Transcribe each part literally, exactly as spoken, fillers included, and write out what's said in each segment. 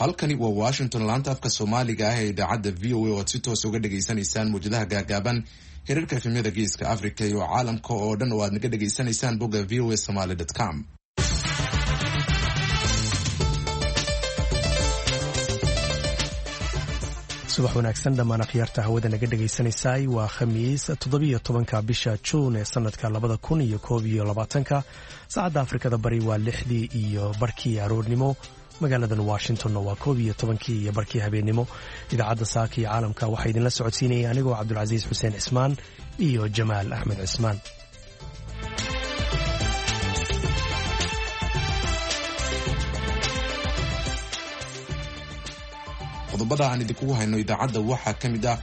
Halkani waa Washington, laanta afka Soomaaliga ah ee idaacadda V O A, oo aad si toos uga dhegaysanaysaan mawjadaha gaagaaban, hirarka F M-yada Geeska Africa iyo caalamka oo dhan oo aad naga dhegaysanaysaan bogga V O A Somaly com. Subax wanaagsan dhammaan akhyaarta hawada naga dhegaysanaysaay. Waa Khamiis, toddobiyo tobanka bisha Juun ee sanadka labada kun iyo koob iyo labaatanka. Saacadda Afrikada Bari waa lixdii iyo barkii aroornimo, magaaladan Washingtonna waa koob iyo tobankii iyo barkii habeennimo. Idaacadda Saaka iyo Caalamka waxaa idinla socodsiinaya anigoo Cabdulcasiis Xuseen Cismaan iyo Jamaal Axmed Cismaan. Qodobada aan idinkugu hayno idaacadda waxaa ka mid ah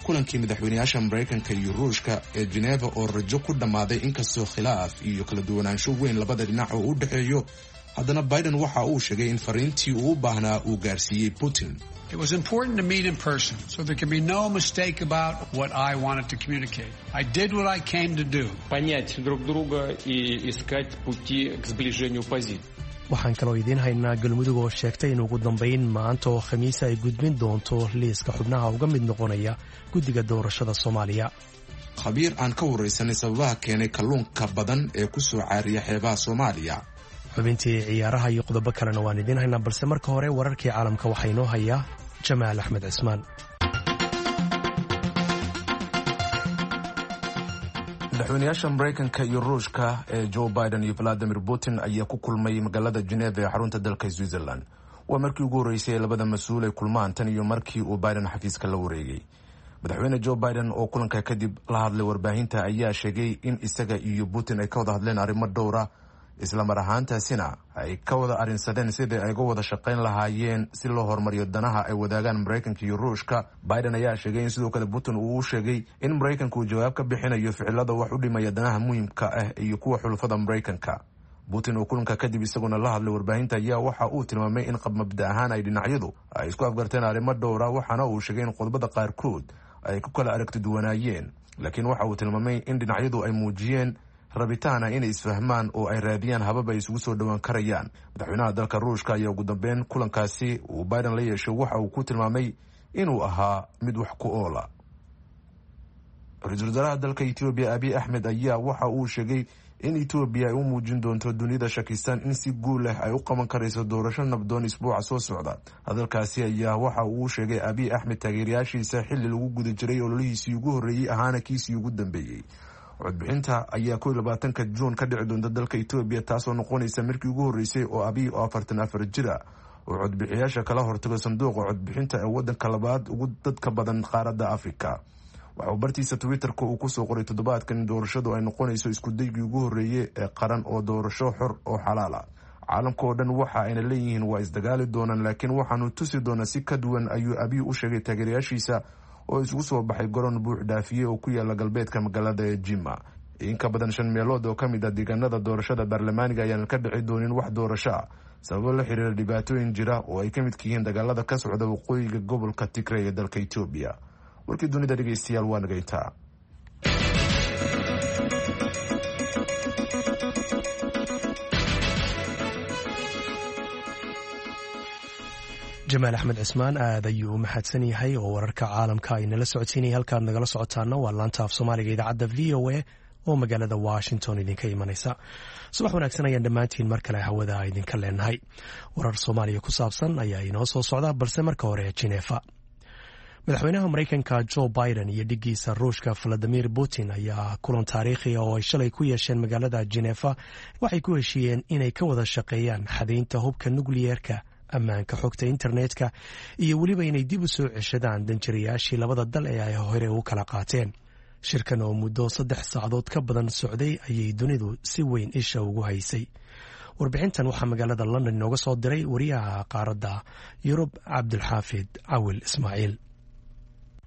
kulankii madaxweynayaasha Maraykanka iyo Ruushka ee Geneva oo rajo ku dhammaaday, inkastoo khilaaf iyo kala duwanaansho weyn labada dhinac oo u dhexeeyo. Haddana Biden waxa uu sheegay in fariintii uu u baahnaa uu gaarsiiyey Putin. It was important to meet in person so there can be no mistake about what I wanted to communicate. I did what I came to do. Понять друг друга и искать пути к сближению позиций. Waxaan kaloo idiin haynaa Galmudug oo sheegtay in ugu dambayn maanta oo Khamiisa ay gudbin doonto liiska xubnaha uga mid noqonaya guddiga doorashada Soomaaliya. Khabiir aan ka waraysanay sababaha keenay kalluunka badan ee ku soo caariya xeebaha Soomaaliya. Xubintii ciyaaraha iyo qodobo kalena waan idiin haynaa, balse marka hore wararkii caalamka waxaa inoo hayaa Jamaal Axmed Cismaan. Madaxweynayaasha Maraykanka iyo Ruushka ee Joe Biden iyo Valadimir Putin ayaa ku kulmay magaalada Geneva ee xarunta dalka Switzerland. Waa markii ugu horreysay ee labada mas-uul ay kulmaan tan iyo markii uu Biden xafiiska la wareegay. Madaxweyne Joe Biden oo kulanka kadib la hadlay warbaahinta ayaa sheegay in isaga iyo Putin ay ka wada hadleen arrimo dhowra, islamar ahaantaasina ay ka wada arrinsadeen sidii ay uga wada shaqayn lahaayeen si loo horumariyo danaha ay wadaagaan Maraykanka iyo Ruushka. Biden ayaa sheegay in sidoo kale Putin uu u sheegay in Maraykanka uu jawaab ka bixinayo ficilada wax u dhimaya danaha muhiimka ah iyo kuwa xulufada Maraykanka. Putin oo kulanka kadib isaguna la hadlay warbaahinta ayaa waxa uu tilmaamay in qab mabda ahaan ay dhinacyadu ay isku afgarteen arrimo dhowra, waxaana uu sheegay in qodobada qaarkood ay ku kala aragti duwanaayeen, laakiin waxa uu tilmaamay in dhinacyadu ay muujiyeen rabitaana inay isfahmaan oo ay raadiyaan habab ay isugu soo dhowaan karayaan. Madaxweynaha dalka Ruushka ayaa ugu dambeyn kulankaasi uu Biden la yeeshay waxa uu ku tilmaamay inuu ahaa mid wax ku oola. Ra-iisul wasaaraha dalka Etoobiya Abiy Axmed ayaa waxa uu sheegay in Etoobiya ay u muujin doonto dunida shakisan in si guul leh ay u qaban karayso doorasho nabdoon isbuuca soo socda. Hadalkaasi ayaa waxa uu sheegay Abiy Axmed taageerayaashiisa xilli lagu guda jiray ololihiisii ugu horreeyey, ahaana kiisii ugu dambeeyey. Codbixinta ayaa kow iyo labaatanka Juun ka dhici doonta dalka Etoobiya, taasoo noqonaysa markii ugu horreysay oo Abiy oo afartan afar jira oo codbixiyaasha kala hortago sanduuqa codbixinta ee wadanka labaad ugu dadka badan qaaradda Afrika. Waxauu bartiisa Twitterka uu kusoo qoray toddobaadkan in doorashadu ay noqonayso iskudaygii ugu horreeyey ee qaran oo doorasho xor oo xalaal ah. Caalamka oo dhan waxa ayna leeyihiin waa isdagaali doonaan, laakiin waxaanu tusi doonaa si ka duwan, ayuu Abiy u sheegay taageerayaashiisa oo isugu soo baxay garoon buux dhaafiyey oo ku yaala galbeedka magaalada ee Jima. In ka badan shan meelood oo ka mid ah deegaanada doorashada baarlamaaniga ayaanan ka dhici doonin wax doorasho ah, sababo la xiriira dhibaatooyin jira oo ay ka midka yihiin dagaalada ka socda waqooyiga gobolka Tigrey ee dalka Etoobiya. Warkii dunida, dhegeystayaal, waa nagayntaa. Jamaal Axmed Cismaan aad ayuu u mahadsan yahay oo wararka caalamka ay nala socodsiinaya. Halkaad nagala socotaana waa laanta af Soomaaliga idaacadda V O A oo magaalada Washington idinka imanaysa. Subax wanaagsan ayaan dhammaantiin mar kale hawada idinka leenahay. Warar Soomaaliya ku saabsan ayaa inoo soo socda, balse marka hore Jineefa. Madaxweynaha Maraykanka Joe Biden iyo dhiggiisa Ruushka Valadimir Putin ayaa kulan taariikhiga oo ay shalay ku yeesheen magaalada Jineefa waxay ku heshiiyeen inay ka wada shaqeeyaan xadaynta hubka nukliyeerka, ammaanka xogta internetka iyo weliba inay dib u soo ceshadaan danjirayaashii labada dal ee ay hore u kala qaateen. Shirkan oo muddo saddex saacadood ka badan socday ayay dunidu si weyn isha ugu haysay. Warbixintan waxaa magaalada London inooga soo diray wariyaha qaaradda Yurub, Cabdulxaafid Cawil Ismaaciil.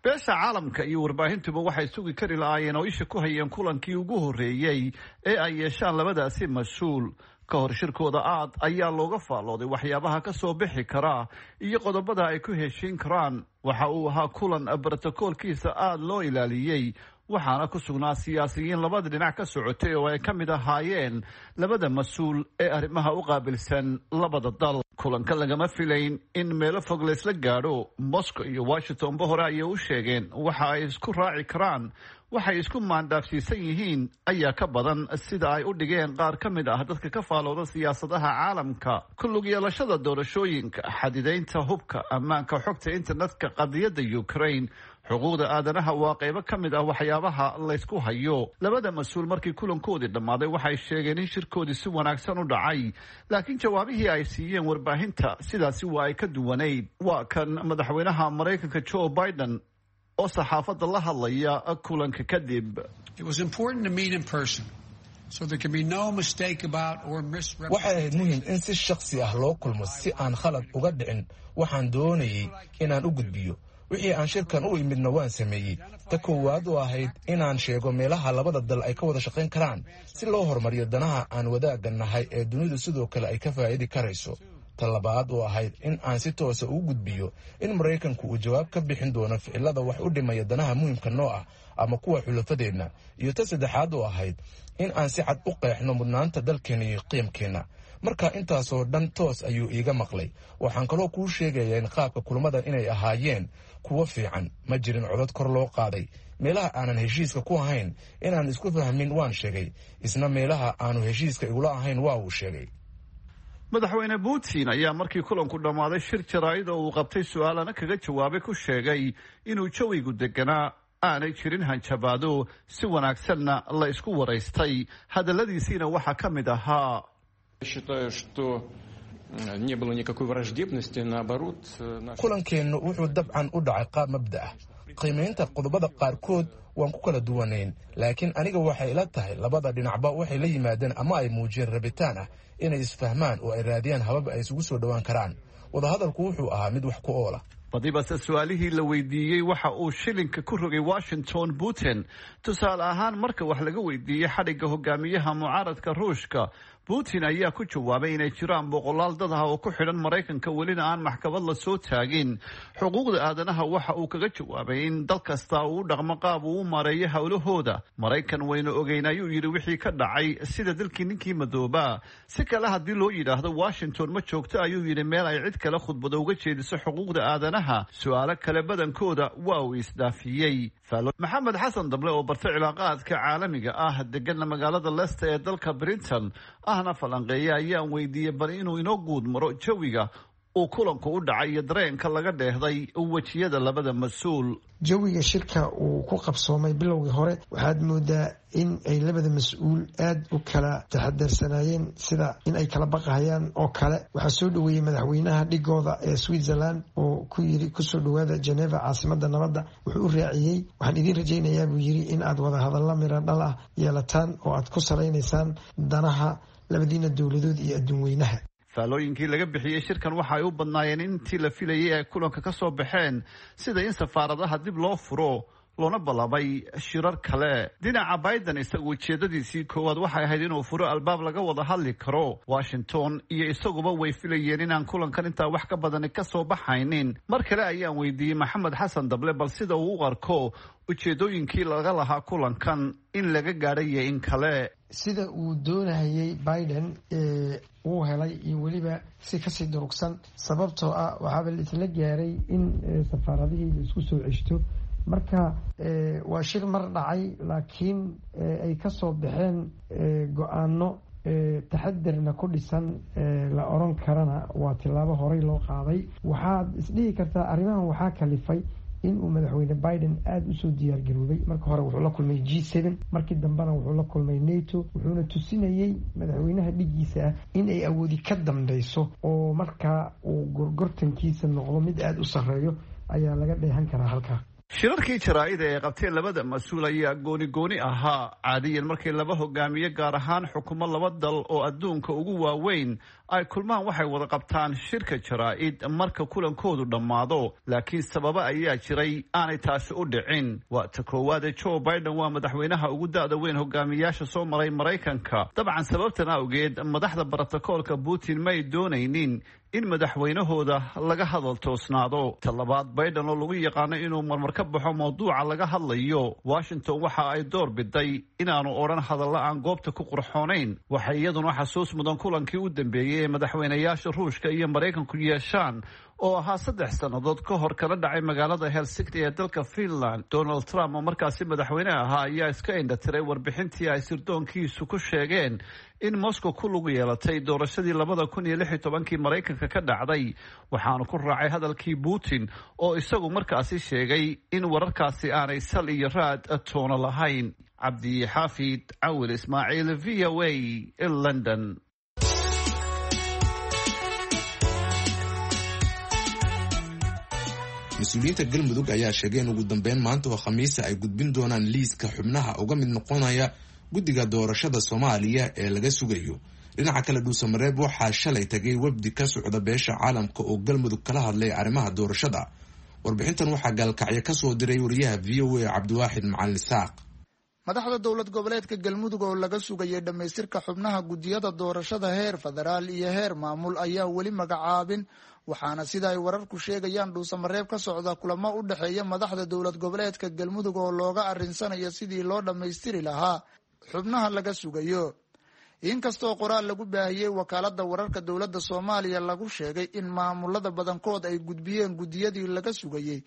Beesha caalamka iyo warbaahintuba waxay sugi kari lahaayeen oo isha ku hayeen kulankii ugu horreeyey ee ay yeeshaan labadaasi mas-uul. Ka hor shirkooda aad ayaa looga faallooday waxyaabaha ka soo bixi karaa iyo qodobada ay ku heshiin karaan. Waxa uu ahaa kulan brotokoolkiisa aada loo ilaaliyey. Waxaana ku sugnaa siyaasiyiin labada dhinac ka socotay oo ay ka mid ahaayeen labada mas-uul ee arrimaha u qaabilsan labada dal. Kulanka lagama filayn in meelo fog laysla gaadho. Moscow iyo Washingtonba hore ayay u sheegeen waxa ay isku raaci karaan. Waxay isku maandhaafsiisan yihiin ayaa ka badan, sida ay u dhigeen qaar ka mid ah dadka ka faalooda siyaasadaha caalamka: ku lug yeelashada doorashooyinka, xadidaynta hubka, ammaanka xogta internetka, qadiyadda Ukraine, xuquuqda aadanaha waa qaybo ka mid ah waxyaabaha laysku hayo. Labada mas-uul markii kulankoodii dhammaaday waxay sheegeen in shirkoodii si wanaagsan u dhacay, laakiin jawaabihii ay siiyeen warbaahinta sidaasi waa ay ka duwanayd. Waa kan madaxweynaha Maraykanka Joe Biden oo saxaafadda la hadlaya kulanka kadib. It was important to meet in person so there can be no mistake about or Waxay ahayd muhiim in si shakhsi ah loo kulmo si aan khalad uga dhicin. Waxaan doonayey inaan u gudbiyo wixii aan shirkan u imidna waan sameeyey. Ta koowaad oo ahayd inaan sheego meelaha labada dal ay ka wada shaqayn karaan si loo horumariyo danaha aan wadaagga nahay ee dunidu sidoo kale ay ka faa'idi karayso. Ta labaad oo ahayd in aan si toosa ugu gudbiyo in Maraykanku uu jawaab ka bixin doono ficilada wax u dhimaya danaha muhiimka noo ah ama kuwa xulafadeenna. Iyo ta saddexaad oo ahayd in aan si cad u qeexno mudnaanta dalkeenna iyo qiimkeenna. Marka intaasoo dhan toos ayuu iiga maqlay. Waxaan kaloo kuu sheegayaa in qaabka kulmadan inay ahaayeen kuwo fiican. Ma jirin codad kor loo qaaday. Meelaha aanan heshiiska ku ahayn inaan isku fahmin waan sheegay, isna meelaha aanu heshiiska igula ahayn waa uu sheegay. Madaxweyne Putin ayaa markii kulanku dhammaaday shir jaraa'id oo uu qabtay su-aalana kaga jawaabay ku sheegay inuu jawigu deganaa, aanay jirin hanjabaado, si wanaagsanna la isku waraystay. Hadalladiisiina waxaa ka mid ahaa: Считаю, что не было никакой враждебности, наоборот. Kulankeennu wuxuu dabcan u dhacay qaab mabda ah. Qiimaynta qodobada qaarkood waan ku kala duwanayn, laakiin aniga waxay ila tahay labada dhinacba waxay la yimaadeen ama ay muujiyeen rabitaan ah inay isfahmaan oo ay raadiyaan habab ay isugu soo dhowaan karaan. Wadahadalku wuxuu ahaa mid wax ku oola. Badibase su-aalihii la weydiiyey waxa uu shilinka ku rogay Washington Putin. Tusaale ahaan, marka wax laga weydiiyey xadhigga hogaamiyaha mucaaradka Ruushka, Putin ayaa ku jawaabay inay jiraan boqolaal dad ah oo ku xidhan Maraykanka, welina aan maxkamad la soo taagin. Xuquuqda aadanaha waxa uu kaga jawaabay in dal kasta uu u dhaqmo qaab uu u maareeyo howlahooda. Maraykan waynu ogeyn, ayuu yidhi, wixii ka dhacay, sida dalkii ninkii madoobaa. Si kale haddii loo yidhaahdo, Washington ma joogto, ayuu yidhi, meel ay cid kale khudbado uga jeediso xuquuqda aadanaha. Su-aalo kale badankooda waa uu isdhaafiyey. Maxamed Xasan Dable oo bartay cilaaqaadka caalamiga ah, degana magaalada Leicester ee dalka Britain, ahna falanqeeya, ayaan weydiiyey bal inuu inoo guud maro jawiga uu kulanku u dhacay iyo dareenka laga dheehday wejiyada labada mas-uul. Jawiga shirka uu ku qabsoomay bilowgii hore waxaad moodaa in ay labada mas-uul aada u kala taxadarsanaayeen, sida in ay kala baqahayaan oo kale. Waxaa soo dhaweeyey madaxweynaha dhigooda ee Switzerland oo ku yiri, "Kusoo dhawaada Geneva, caasimada nabadda." Wuxuu u raaciyey, "Waxaan idiin rajaynayaa," buu yiri, "in aad wada hadalla mira dhal ah yeelataan oo aad ku salaynaysaan danaha labadiina dowladood iyo adduun weynaha." Faalooyinkii laga bixiyey shirkan waxa ay u badnaayeen intii la filayay ay kulanka ka soo baxeen, sida in safaaradaha dib loo furo loona ballamay shirar kale. Dhinaca Biden, isagu ujeedadiisii koowaad waxay ahayd inuu furo albaab laga wada hadli karo. Washington iyo isaguba way filayeen inaan kulankan intaa wax ka badani ka soo baxaynin. Mar kale ayaan weydiiyey Maxamed Xasan Dable bal sida uu u arko ujeedooyinkii laga lahaa kulankan in laga gaadhay iyo in kale. Sida uu doonayay Biden wuu helay iyo weliba si kasii durugsan, sababtoo ah waxaaba laisla gaaray in safaaradihii la isku soo ceshto. Marka waa shir mar dhacay, laakiin ay kasoo baxeen go-aano taxadarna ku dhisan, la oran karana waa tilaabo horey loo qaaday. Waxaad isdhihi kartaa arrimahan waxaa kalifay in uu madaxweyne Biden aada usoo diyaargaroobay. Marka hore wuxuu la kulmay G seven, markii dambena wuxuu la kulmay NATO, wuxuuna tusinayey madaxweynaha dhigiisa ah in ay awoodi ka dambeyso oo markaa uu gorgortankiisa noqdo mid aada u sarreeyo ayaa laga dheehan karaa halkaa. Shirarkii jaraa'ida ee qabteen labada mas-uul ayaa gooni gooni ahaa. Caadiyan markii laba hogaamiye, gaar ahaan xukumo laba dal oo adduunka ugu waaweyn, ay kulmaan, waxay wada qabtaan shirka jaraa'id marka kulankoodu dhammaado, laakiin sababo ayaa jiray aanay taasi u dhicin. Waa ta koowaade, Joe Biden waa madaxweynaha ugu da'da weyn hogaamiyaasha soo maray Maraykanka. Dabcan sababtan awgeed madaxda brotokoolka Putin may doonaynin in madaxweynahooda laga hadal toosnaado. Talabaad, Biden oo lagu yaqaano inuu marmar ka baxo mawduuca laga hadlayo, Washington waxa ay door biday inaanu odhan hadalla aan goobta ku qurxoonayn. Waxay iyaduna xasuus mudan kulankii u dambeeyey ee madaxweynayaasha Ruushka iyo Maraykanku yeeshaan oo ahaa saddex sannadood ka hor, kala dhacay magaalada Helsinki ee dalka Finland. Donald Trump oo markaasi madaxweyne ahaa ayaa iska indhatiray warbixintii ay sirdoonkiisu ku sheegeen in Moscow ku lug yeelatay doorashadii labada kun iyo lix iyo tobankii Maraykanka ka dhacday, waxaanu ku raacay hadalkii Putin oo isagu markaasi sheegay in wararkaasi aanay sal iyo raad toona lahayn. Cabdixaafid Cawil Ismaaciil, V O A, London. Mas-uuliyiinta Galmudug ayaa sheegay in ugu dambeyn maanta oo Khamiisa ay gudbin doonaan liiska xubnaha uga mid noqonaya guddiga doorashada Soomaaliya ee laga sugayo. Dhinaca kale, Dhuusamareeb waxaa shalay tagay wafdi ka socda beesha caalamka oo Galmudug kala hadlay arrimaha doorashada. Warbixintan waxaa gaalkacyo kasoo diray wariyaha V O A Cabdiwaaxid Macalin Isaaq. Madaxda dowlad goboleedka Galmudug oo laga sugayay dhammaystirka xubnaha guddiyada doorashada heer federaal iyo heer maamul ayaa weli magacaabin, waxaana sida ay wararku sheegayaan Dhuusamareeb ka socda kulamo u dhexeeya madaxda dowlad goboleedka Galmudug oo looga arrinsanayo sidii loo dhammaystiri lahaa xubnaha laga sugayo. Inkastoo qoraal lagu baahiyey wakaalada wararka dowladda Soomaaliya lagu sheegay in maamulada badankood ay gudbiyeen guddiyadii laga sugayey,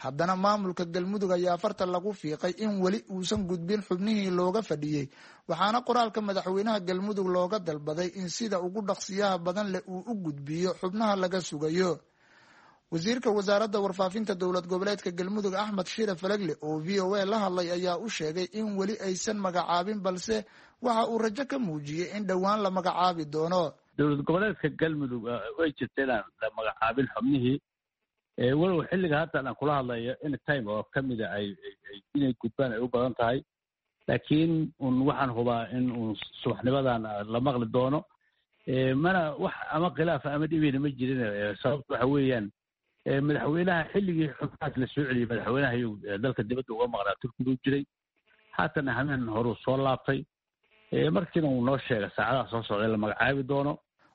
haddana maamulka Galmudug ayaa farta lagu fiiqay in weli uusan gudbin xubnihii looga fadhiyey, waxaana qoraalka madaxweynaha Galmudug looga dalbaday in sida ugu dhaqsiyaha badan leh uu u gudbiyo xubnaha laga sugayo. Wasiirka wasaaradda warfaafinta dowlad goboleedka Galmudug Axmed Shire Falagle oo V O A la hadlay ayaa u sheegay in weli aysan magacaabin, balse waxa uu rajo ka muujiyey in dhowaan la magacaabi doono. Dowlad goboleedka Galmudug way jirta inaan la magacaabin xubnihii, walow xilliga hadda aan kula hadlayo in time oo kamida ay inay gudbaan ay u badan tahay, laakiin un waxaan hubaa in uun subaxnimadan la maqli doono. Mana wax ama khilaafa ama dhibeyna ma jirin. Sababta waxa weeyaan, madaxweynaha xilligii xubnahaas la soo celiyey, madaxweynaha iyuu dalka dibadda uga maqnaa, Turkigu jiray, haatana hameen horuu soo laabtay, markiina uu noo sheegay saacadaha soo socday la magacaabi doono.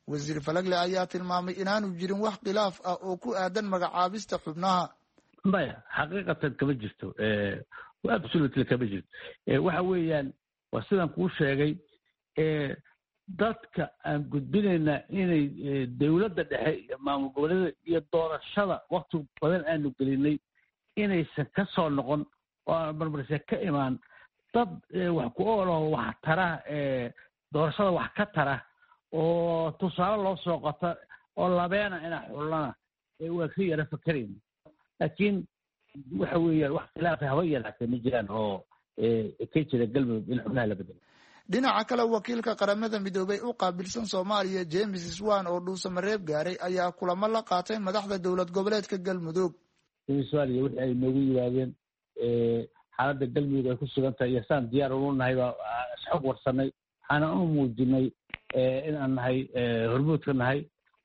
Wasiir Falagle ayaa tilmaamay inaanu jirin wax khilaaf ah oo ku aadan magacaabista xubnaha. Maya, xaqiiqatan kama jirto, absolutely kama jirto. Waxa weeyaan waa sidaan kuu sheegay, dadka aan gudbinayna inay dowladda dhexe iyo maamul goboleeda iyo doorashada wakti badan aanu gelinay inaysan ka soo noqon oo aan marmarse ka imaan dad wax ku oolaho, wax tara, doorashada wax ka tara oo tusaale loo soo qota oo labeena inaa xullana waa ka yara fakerayna. Laakiin waxa weeyaan wax khilaafa haba yaraatee ma jiraan oo ka jira Galmudug in xubnaha la bedelo. Dhinaca kale, wakiilka Qaramada Midoobay u qaabilsan Soomaaliya James Swan oo Dhuusamareeb gaaray ayaa kulamo la qaatay madaxda dowlad goboleedka Galmudug. James Swan iyo wixii ay noogu yimaadeen xaaladda Galmudug ay ku sugan tahay iyo saan diyaar ulu nahay baa isxog warsanay, waxaana u muujinay in aan nahay hormuudka nahay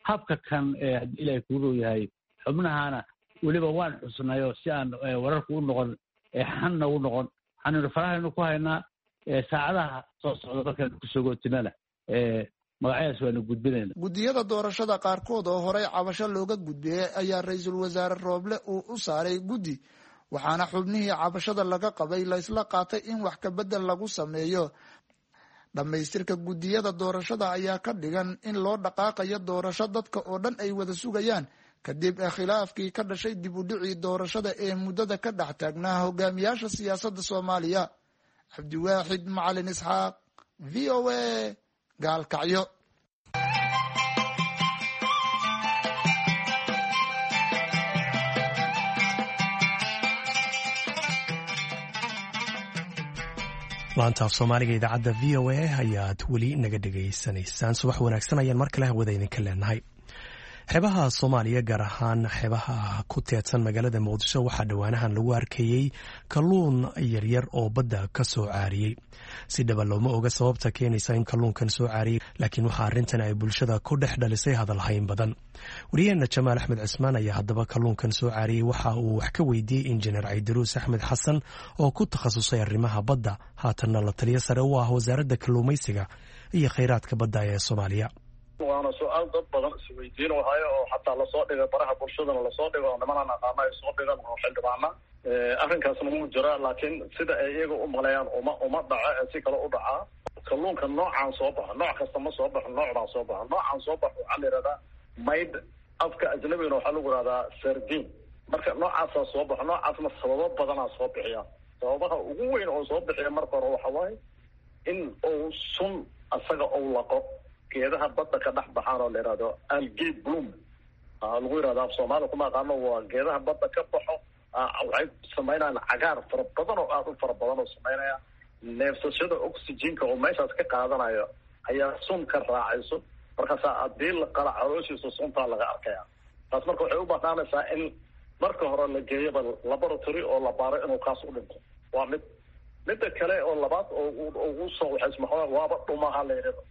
habka kan haddii Ilaahay kuu row yahay xubnahana weliba waan xusnayoo si aan wararku u noqon xanna u noqon, waxaanu farahaynu ku haynaa saacadaha soo socda markaan kusoo gootinana magacyadaas waanu gudbinayna. Guddiyada doorashada qaarkood oo horey cabasho looga gudbiyey ayaa ra-iisul wasaare Rooble uu u saaray guddi, waxaana xubnihii cabashada laga qabay laysla qaatay in wax kabedel lagu sameeyo. Dhammaystirka guddiyada doorashada ayaa ka dhigan in loo dhaqaaqayo doorasho dadka oo dhan ay wada sugayaan kadib khilaafkii ka dhashay dib u dhicii doorashada ee muddada ka dhex taagnaa hogaamiyaasha siyaasadda Soomaaliya. Cabdiwaaxid Macalin Isxaaq, V O A, Gaalkacyo. Laanta af Soomaaliga idaacadda V O A ayaad weli naga dhegaysanaysaan. Subax wanaagsan ayaan mar kale hawada idinka leenahay. Xeebaha Soomaaliya, gaar ahaan xeebaha ku teedsan magaalada Muqdisho, waxaa dhowaanahan lagu arkayey kalluun yaryar oo badda ka soo caariyey. Si dhaba looma oga sababta keenaysa in kalluunkan soo caariyey, laakiin waxaa arrintan ay bulshada ku dhex dhalisay hadalhayn badan. Wariyaheenna Jamaal Axmed Cismaan ayaa haddaba kalluunkan soo caariyey waxa uu wax ka weydiiyey injineer Caydiruus Axmed Xasan oo ku takhasusay arrimaha badda, haatanna la taliyo sare u ah wasaaradda kalluumaysiga iyo kheyraadka badda ee Soomaaliya. Waa Waana su-aal dad badan isweydiin wahayo oo xataa lasoo dhigay baraha bulshadana lasoo dhigo oo nimanaan aqaano ay soo dhigan oo xildhibaana. Arrinkaasna wuu jiraa, laakiin sida ay iyaga u maleeyaan uma uma dhaco ee si kale u dhacaa. Kalluunka noocaan soo baxo, nooc kasta ma soo baxo, nooc baa soo baxo. Noocaan soo baxo waxaa la yihahdaa maydh, afka ajnabigana waxaa lagu yihahdaa sardin. Marka noocaasaa soo baxo, noocaasna sababo badanaa soo bixiya. Sababaha ugu weyn oo soo bixiya marka hore waxa waaye in uu sun asaga uu laqo geedaha badda ka dhex baxaan oo la yihahdo algae bloom lagu yihahdo, af soomaaliya kuma aqaano. Waa geedaha badda ka baxo, waxay samaynayaan cagaar fara badan oo aada u fara badan oo samaynaya. Neefsashada oxygenka oo meeshaas ka qaadanayo ayaa sun ka raacayso, markaasaa haddii la qala calooshiisa suntaa laga arkaya. Taas marka waxay u banaanaysaa in marka hore la geeyoba laboratory oo la baaro inuu kaas u dhinto. Waa mid. Midda kale oo labaad oo ugu soo waxaysma waaba dhumaha la yidhahdo.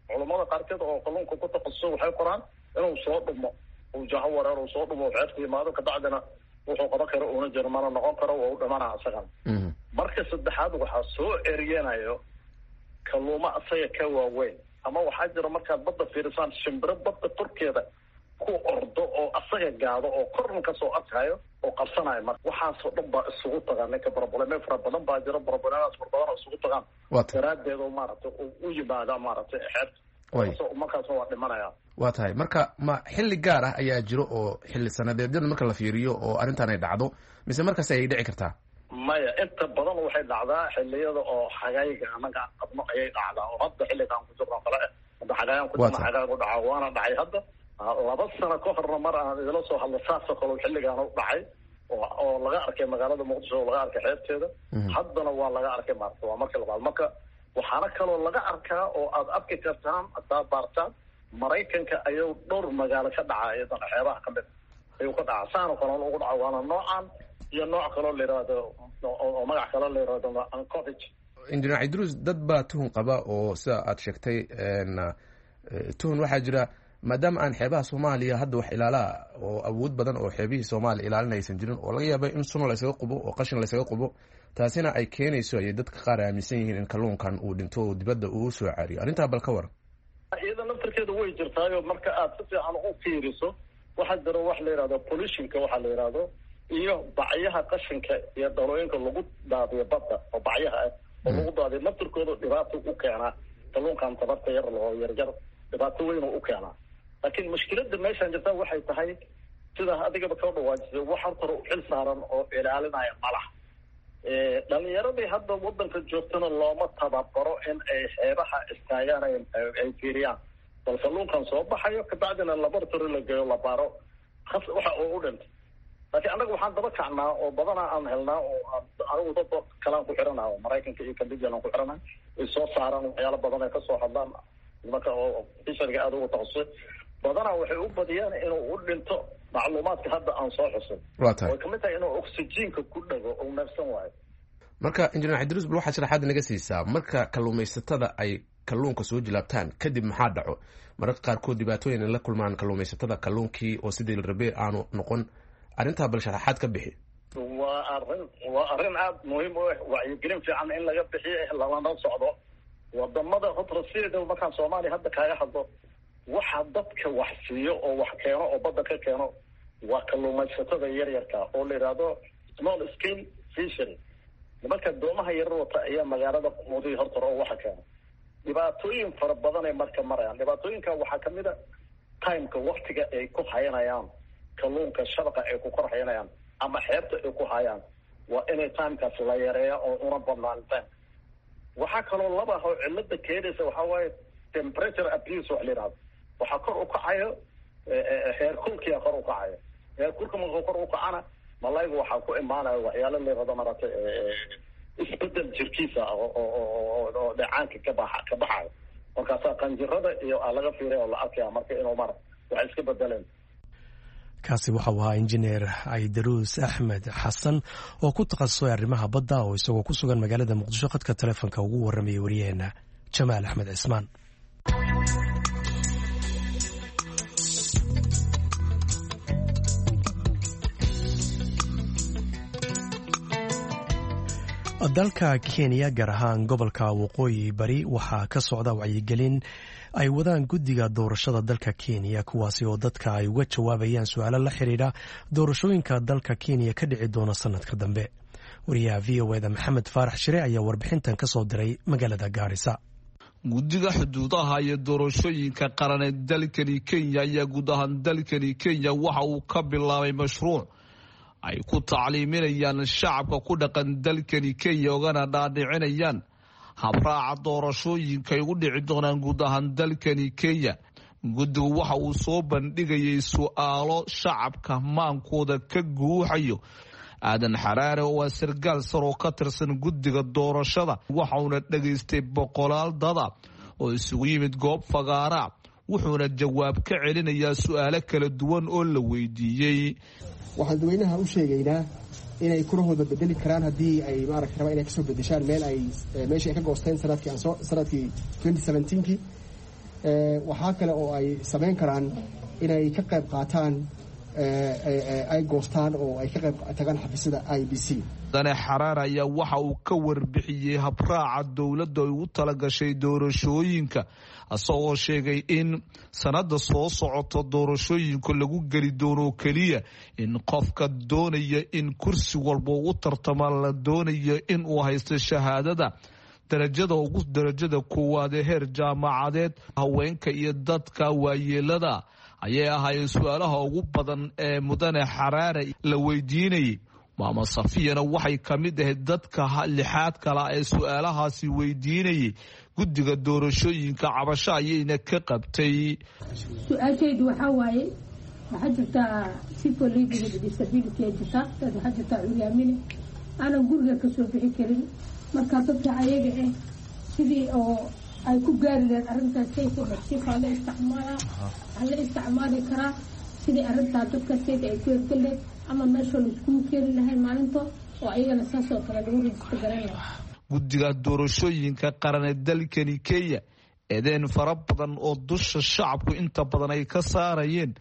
Culummada qaarkeed oo kalluunka ku takhasuso waxay qoraan inuu soo dhumo, uu jaho wareer uu soo dhumo, xeebta yimaado, kabacdina wuxuu qaban karo uuna jiro mana noqon karo, waa u dhimana isagan. Marka saddexaad waxaa soo eriyanayo kalluumo asaga ka waaweyn, ama waxaa jira markaad badda fiirisaan shimbiro badda korkeeda ku ordo oo asaga gaado oo korna kasoo arkayo oo qabsanayo. Marka waxaasoo dhan baa isugu tagaan ninka. Probleme fara badan baa jiro, problemadaas fara badan oo isugu tagaan daraaddeed oo maaragtay u yimaada maaragtay xeebta, markaasna waa dhimanaya. Waa tahay. Marka ma xilli gaar ah ayaa jiro oo xilli sanadeedyada marka la fiiriyo oo arrintan ay dhacdo, mise markaas ayay dhici kartaa? Maya, inta badan waxay dhacdaa xilliyada oo xagayga annaga aan qabno ayay dhacdaa, oo hadda xilliga aan ku jirno kale eh, hadda xagayaan ku jirno, xagaygu dhacaa, waana dhacay hadda laba sano ka horna mar aan idila soo hadlo saasoo kale xilligaan u dhacay oo oo laga arkay magaalada Muqdisho oo laga arkay xeebteeda. Haddana waa laga arkay maarta, waa marka labaad. Marka waxaana kaloo laga arkaa oo aad arki kartaan hadaa baartaan, Maraykanka ayuu dhowr magaalo ka dhacaa, iyadana xeebaha kamid ayuu ka dhacaa, saano kalena ugu dhaca. Waana noocan iyo nooc kaloo la yihahdo oo magac kaloo la yihahdo ancovich. Injineer Cidruus, dad baa tuhun qaba oo sida aad sheegtay tuhun waxaa jira maadaama aan xeebaha Soomaaliya hadda wax ilaalaa oo awood badan oo xeebihii Soomaaliya ilaalin aysan jirin, oo laga yaaba in sun laysaga qubo oo qashin laysaga qubo, taasina ay keenayso ayay dadka qaar aaminsan yihiin in kalluunkan uu dhinto oo dibadda uu soo caariyo. Arrintaa bal ka waran. Iyada naftarkeeda way jirtaayo. Marka aad si fiican u fiiriso waxaa jiro wax la yihahdo pollutionka, waxaa la yihahdo iyo bacyaha qashinka iyo dhalooyinka lagu daadiyo badda oo bacyaha ah oo lagu daadiyo naftarkooda dhibaato u keenaa kalluunkan tabarta yar oo yaryar, dhibaato weyn oo u keenaa. Laakiin mushkiladda meeshaan jirta waxay tahay sidaa adigaba kao dhawaajisay, wax horta hore u xil saaran oo ilaalinaya malaha. Dhalinyaradii hadda wadanka joogtana looma tababaro in ay xeebaha istaagaan ay fiiriyaan bal kalluunkan soo baxayo, kabacdina laboratory la geeyo, la baaro waxa uu u dhintay. Laakiin annaga waxaan daba kacnaa oo badanaa aan helnaa oo anigu dad kalaan ku xiranaha oo Maraykanka iyo Canadian aan ku xiranaha, ay soo saaraan waxyaalo badan ay kasoo hadlaan nimanka oo fishariga aada ugu takhasusay. Badanaa waxay u badiyaan inuu u dhinto macluumaadka hadda aan soo xusay, way kamid tahay inuu oxygenka ku dhago uu neefsan waayo. Marka injineer Cidruus, bal waxaad sharaxaad naga siisaa marka kalluumaysatada ay kalluunka soo jilaabtaan kadib maxaa dhaco? Mararka qaarkood dhibaatooyin ay la kulmaan kalluumaysatada, kalluunkii oo sidii la rabay aanu noqon, arrintaa bal sharaxaad ka bixi. Waa arrin waa arrin aada muhiim u ah, wacyigelin fiican in laga bixiyo lalana socdo wadamada horta. Sideedaba markaan Soomaaliya hadda kaaga hadlo, waxa dadka wax siiyo oo wax keeno oo badda ka keeno waa kalluumaysatada yaryarka oo la yidhaahdo small scale fishery. Nimanka doomaha yarar wata ayaa magaalada quudiya horta oo waxa keeno. Dhibaatooyin fara badan ay marka marayaan. Dhibaatooyinka waxaa kamid a timeka, waktiga ay ku hayanayaan kalluunka, shabaqa ay ku kor hayanayaan ama xeebta ay ku hayaan, waa inay timekaas la yareeya oo una badnaan time. Waxaa kaloo laba ah oo cilada keenaysa waxaa waaye temperature abuse wax la yidhahdo. Waxaa kor u kacayo heerkulkiyaa kor u kacayo. Heerkulka markuu kor u kacana malaygu waxaa ku imaanaya waxyaalo la yidhahdo maaragtay isbedel jirkiisa oo oo dheecaanka ka baxa ka baxayo. Markaasaa qanjirada iyo aa laga fiiraya oo la arkaya marka inuu mara waxay iska bedeleen. Kaasi waxau ahaa injineer Caydaruus Axmed Xasan oo ku takhasusay arrimaha badda oo isagoo ku sugan magaalada Muqdisho khadka telefoonka ugu warramayay waryaheena Jamaal Axmed Cismaan. Dalka Kenya, gaar ahaan gobolka Waqooyi Bari, waxaa ka socda wacyigelin ay wadaan guddiga doorashada dalka Kenya, kuwaasi oo dadka ay uga jawaabayaan su-aalo la xiriira doorashooyinka dalka Kenya ka dhici doona sanadka dambe. Wariyaha V O eda Maxamed Faarax Shire ayaa warbixintan ka soo diray magaalada Gaarisa. Guddiga xuduudaha iyo doorashooyinka qaran ee dalkani Kenya ayaa guud ahaan dalkani Kenya waxa uu ka bilaabay mashruuc ay ku tacliiminayaan shacabka ku dhaqan dalkani Kenya, ogana dhaadhicinayaan habraaca doorashooyinka ay ugu dhici doonaan guud ahaan dalkani Kenya. Guddigu waxa uu soo bandhigayay su-aalo shacabka maankooda ka guuxayo. Aadan Xaraare oo waa sargaal sar oo ka tirsan guddiga doorashada, waxauna dhegaystay boqolaal dada oo isugu yimid goob fagaara, wuxuuna jawaab ka celinayaa su-aalo kala duwan oo la weydiiyey. Waxaan dadweynaha u sheegaynaa inay kurahooda bedeli karaan haddii ay maaragta rabaan inay kasoo bedeshaan meel ay meeshii ay ka goosteen sanadkii aansoo sanadkii twenty seventeenkii. Waxaa kale oo ay samayn karaan inay ka qayb qaataan, ay goostaan oo ay ka qayb tagaan xafiisyada I B C. Dane Xaraar ayaa waxa uu ka warbixiyey habraaca dowladda ay ugu talagashay doorashooyinka, isagoo sheegay in sanada soo socoto doorashooyinka lagu geli doono keliya in qofka doonaya in kursi walba u tartama la doonayo in uu haysto shahaadada darajada ugu darajada koowaad ee heer jaamacadeed. Haweenka iyo dadka waayeelada ayay ahaayeen su-aalaha ugu badan ee mudane Xaraare la weydiinayay. Maama Safiyana waxay ka mid ahayd dadka lixaad kala ee su-aalahaasi weydiinayay guddiga doorashooyinka, cabasho ayayna ka qabtay. Su-aashaydu waxaa waaye, waxaa jirtaa people living with disability ee jirta, dad waxaa jirtaa curyaamine aanan guriga kasoo bixi karin. Marka dadka ayaga ah sidii oo ay ku gaari lahayd arrintaas sayka sifa la isticmaalaa, waxaa la isticmaali karaa sidii arrintaa dadka sayka ay ku hergel lahayd ama meesha laiskugu keeni lahay maalinta oo ayagana saas oo kale lagu register garan lahaa. Guddiga doorashooyinka qaran ee dalkani Kenya eedeen fara badan oo dusha shacabku inta badan ay ka saarayeen,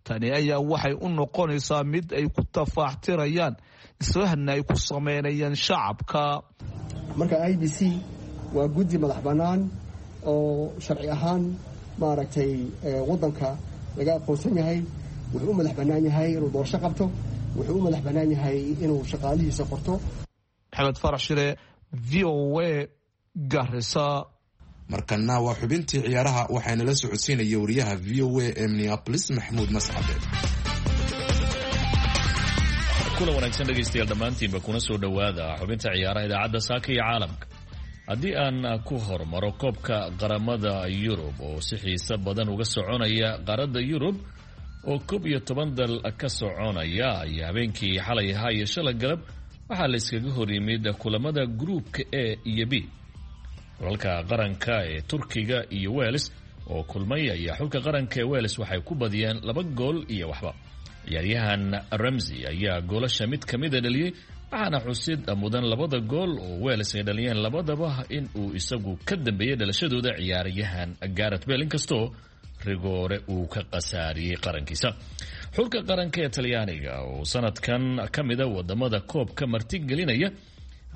tani ayaa waxay u noqonaysaa mid ay ku tafaaxtirayaan, islahna ay ku sameynayaan shacabka. Marka I B C waa guddi madax bannaan oo sharci ahaan maaragtay waddanka laga aqoonsan yahay. Wuxuu u madax bannaan yahay inuu doorasho qabto, wuxuu u madax bannaan yahay inuu shaqaalihiisa qorto. Maxamed Farax Shire, V O A, Garissa. Markana waa xubintii ciyaaraha, waxaana la socodsiinaya wariyaha V O A ee Minneapolis, Maxamuud Mascade. Kulan wanaagsan dhegaystayaal dhammaantiinba, kuna soo dhowaada xubinta ciyaaraha idaacadda Saaka iyo Caalamka. Haddii aan ku hormaro koobka qaramada Yurub oo si xiiso badan uga soconaya qaaradda Yurub oo koob iyo toban dal ka soconaya, ayaa habeenkii xalay ahaa iyo shalay galab waxaa la iskaga hor yimid kulamada gruupka A iyo B. Xulalka qaranka ee Turkiga iyo Wales oo kulmay ayaa xulka qaranka ee Wales waxay ku badiyeen laba gool iyo waxba. Ciyaaryahan Ramsey ayaa goolasha mid ka mida dhaliyey, waxaana xusid mudan labada gool oo Wales ay dhaliyeen labadaba in uu isagu ka dambeeyey dhalashadooda ciyaaryahan Gareth Bale, inkastoo rigoore uu ka khasaariyey qarankiisa. Xulka qaranka ee Talyaaniga oo sanadkan ka mida wadamada koobka martigelinaya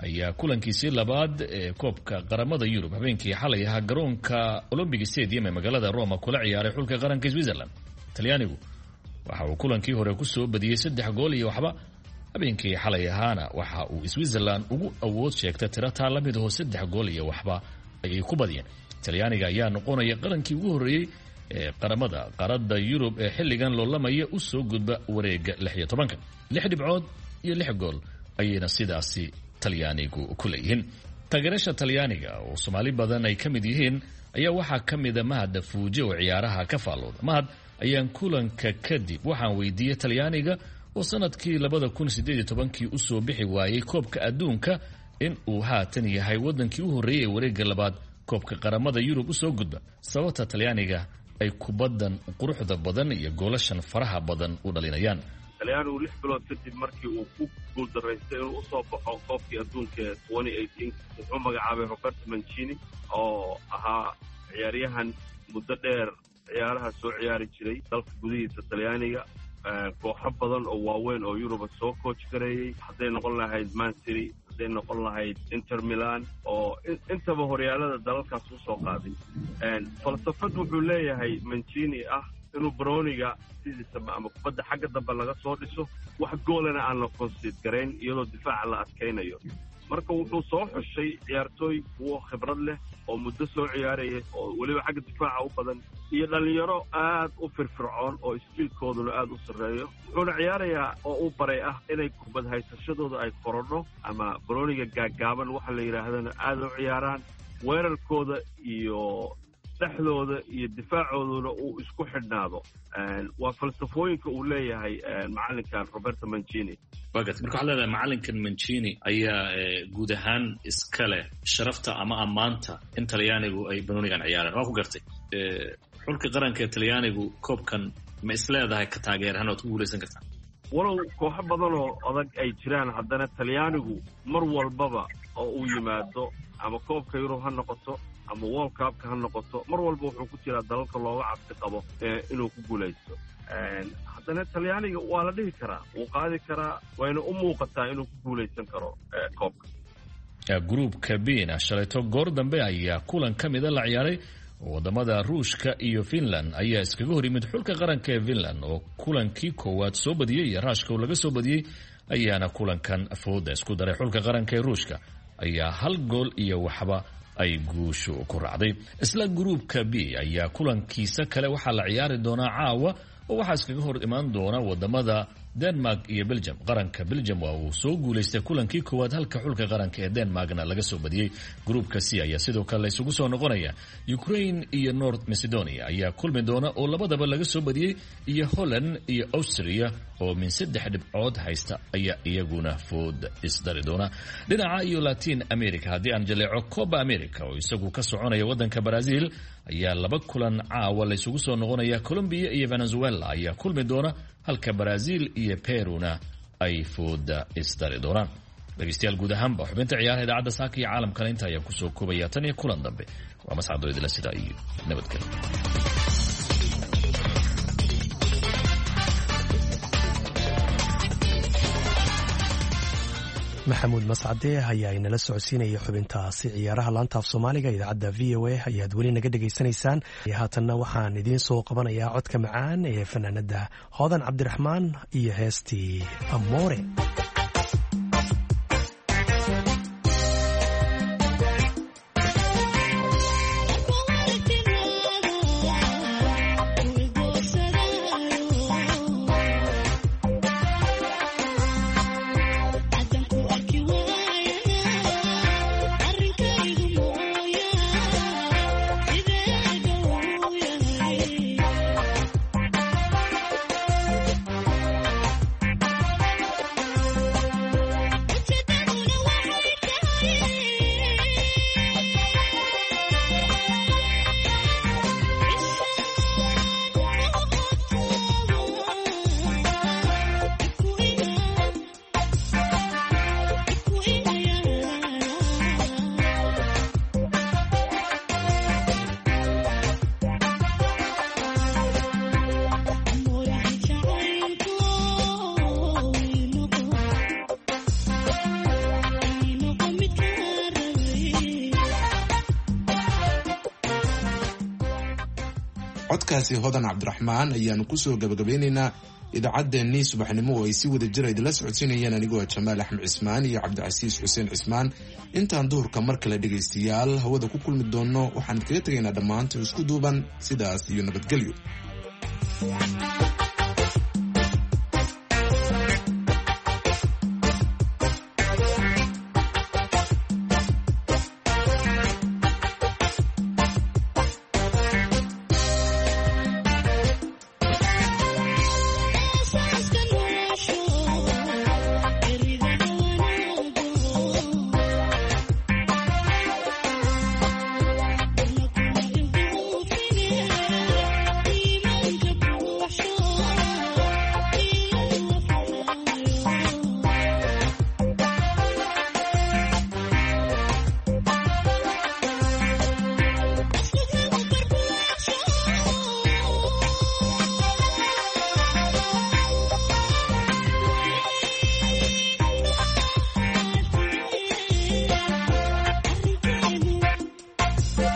ayaa kulankiisii labaad ee koobka qaramada Yurub habeenkii xalay ahaa garoonka Olympic Stadium ee magaalada Roma kula ciyaaray xulka qaranka Switzerland. Talyaanigu waxa uu kulankii hore kusoo badiyey saddex gool iyo waxba, habeenkii xalay ahaana waxa uu Switzerland ugu awood sheegtay tirataa la mid aho, saddex gool iyo waxba ayay ku badiyeen. Talyaaniga ayaa noqonaya qarankii ugu horreeyey ee qaramada qaaradda Yurub ee xilligan loolamaya u soo gudba wareega lix iyo tobanka. Lix dhibcood iyo lix gool ayayna sidaasi Talyaanigu ku leeyihiin. Taageerasha Talyaaniga oo Soomaali badan ay ka mid yihiin ayaa waxaa ka mida Mahad Fuuje oo ciyaaraha ka faallooda. Mahad ayaan kulanka kadib waxaan weydiiyey Talyaaniga oo sanadkii labada kun sideed iyo tobankii usoo bixi waayey koobka adduunka in uu haatan yahay wadankii u horreeyey ee wareegga labaad koobka qaramada Yurub usoo gudba, sababta Talyaaniga ay kubaddan quruxda badan iyo goolashan faraha badan u dhalinayaan. Talyaanigu lix bilood kadib markii uu ku guuldaraystay inuu usoo baxo koobkii adduunka ee twenty eighteen, wuxuu magacaabay Roberto Mancini oo ahaa ciyaaryahan muddo dheer ciyaaraha soo ciyaari jiray dalka gudihiisa Talyaaniga, kooxo badan oo waaweyn oo Yuruba soo coach gareeyey, hadday noqon lahayd Man City, Hadday noqon lahayd Inter Milan, oo intaba horyaalada dalalkaas usoo qaaday. Falsafad wuxuu leeyahay Mancini ah inuu broniga sidiisaba ama kubadda xagga dambe laga soo dhiso, wax goolana aan la konsiid garayn iyadoo difaaca la adkaynayo. Marka wuxuu soo xushay ciyaartooy kuwo khibrad leh oo muddo soo ciyaaraya oo weliba xagga difaaca u badan, iyo dhallinyaro aad u firfircoon oo iskiilkooduna aad u sarreeyo. Wuxuuna ciyaarayaa oo u baray ah inay kubad haysashadooda ay korodho ama broniga gaaggaaban waxa la yidhaahdana aad u ciyaaraan, weerarkooda iyo dhexdooda iyo difaacooduna uu isku xidhnaado. Waa falsafooyinka uu leeyahay macalinkan Roberto Mancini. Wagat, marka waxaad leedahay macalinkan Mancini ayaa guud ahaan iska leh sharafta ama ammaanta in talyaanigu ay banoonigan ciyaareen. Waa ku gartay. Xulka qaranka ee talyaanigu koobkan ma is leedahay ka taageerahan oad ku guulaysan kartaa? Walow kooxo badanoo adag ay jiraan, haddana talyaanigu mar walbaba oo uu yimaado, ama koobka Yurub ha noqoto ama World Cupka ha noqoto, mar walba wuxuu ku jiraa dalalka looga cabsi qabo inuu ku guulaysto. Haddana talyaaniga waa la dhihi karaa wuu qaadi karaa, wayna u muuqataa inuu ku guulaysan karo koobka. Gruupka bina shalayto goor dambe ayaa kulan ka mida la ciyaaray. Wadamada Ruushka iyo Finland ayaa iskaga hor yimid. Xulka qaranka ee Finland oo kulankii koowaad soo badiyey iyo Raashka oo laga soo badiyey ayaana kulankan fooda isku daray. Xulka qaranka ee Ruushka ayaa hal gool iyo waxba ay guushu ku raacday. Isla gruupka B ayaa kulankiisa kale waxaa la ciyaari doonaa caawa, oo waxaa iskaga hor imaan doona wadamada Denmark iyo Belgium. Qaranka Belgium waa uu soo guulaystay kulankii koowaad, halka xulka qaranka ee Denmarkna laga soo badiyey. Gruupka C ayaa sidoo kale la isugu soo noqonaya. Ukraine iyo North Macedonia ayaa kulmi doona oo labadaba laga soo badiyey, iyo Holland iyo Austria oo min saddex dhibcood haysta ayaa iyaguna food isdari doona. Dhinaca iyo Latin America haddii aan jaleeco, Copa America oo isagu ka soconaya wadanka Brazil ayaa laba kulan caawa la isugu soo noqonaya. Colombia iyo Venezuela ayaa kulmi doona, halka Brazil iyo Peruna ay fooda isdari doonaan. Dhegeystayaal, guud ahaanba xubinta ciyaaraha idaacadda saaka iyo caalamkana inta ayaan kusoo koobaya. Tan iyo kulan dambe, waa mascado idila sidaa iyo nabadgelyo. Maxamuud Mascade ayaa inala socodsiinaya xubintaasi ciyaaraha. Laantaaf Soomaaliga idaacadda V O A ayaad weli naga dhegaysanaysaan. Haatanna waxaan idiin soo qabanayaa codka macaan ee fanaanada Hoodan Cabdiraxmaan iyo heestii Amoore. Codkaasi Hodan Cabdiraxmaan ayaanu kusoo gabagabeynaynaa idaacaddeenii subaxnimo oo ay si wada jira idinla socodsiinayeen anigoo Jamaal Axmed Cismaan iyo Cabdicasiis Xuseen Cismaan. Intaan duhurka mar kale dhegaystayaal hawada ku kulmi doonno, waxaan idkaga tegaynaa dhammaantii isku duuban sidaas iyo nabadgelyo.